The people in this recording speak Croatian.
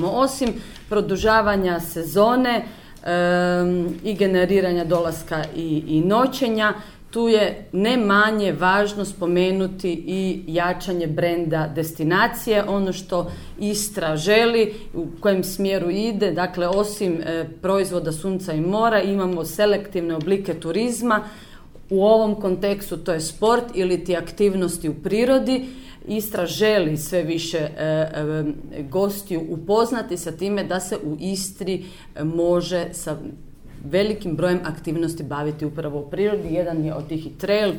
Osim produžavanja sezone i generiranja dolaska i noćenja, tu je ne manje važno spomenuti i jačanje brenda destinacije, ono što Istra želi, u kojem smjeru ide. Dakle, osim proizvoda sunca i mora imamo selektivne oblike turizma. U ovom kontekstu to je sport ili ti aktivnosti u prirodi. Istra želi sve više gostiju upoznati sa time da se u Istri može sa velikim brojem aktivnosti baviti upravo u prirodi. Jedan je od tih i trail.